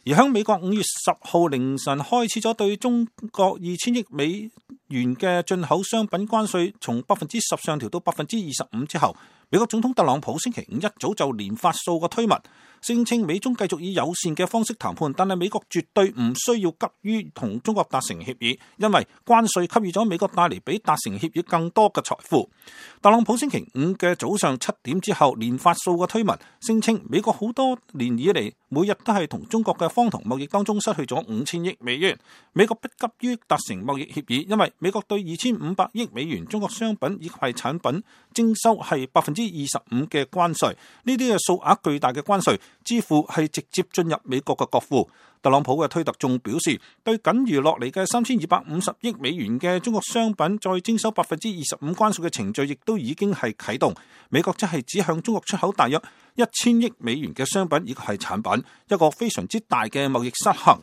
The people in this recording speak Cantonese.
而喺美國5月10號凌晨開始咗對中國2000億美元嘅進口商品關稅從10%上調到25%之後，美國總統特朗普星期五一早就連發數個推文，聲稱美中繼續以友善嘅方式談判，但係美國絕對唔需要急於同中國達成協議，因為關稅給予咗美國帶嚟比達成協議更多嘅財富。特朗普星期五嘅早上7點之後連發數個推文，聲稱美國好多年以嚟每日都係同中國嘅荒唐貿易當中失去咗5000億美元，美國不急於達成貿易協議，因為美國對2500億美元中國商品以及係產品徵收係25%嘅關稅，呢啲嘅數額巨大嘅關稅支付係直接進入美國嘅國庫。特朗普嘅推特仲表示，對僅餘落嚟嘅3250億美元嘅中國商品再徵收25%關稅嘅程序，亦都已經係啟動。美國即係只向中國出口大約1000億美元嘅商品以及係產品，一個非常之大嘅貿易失衡。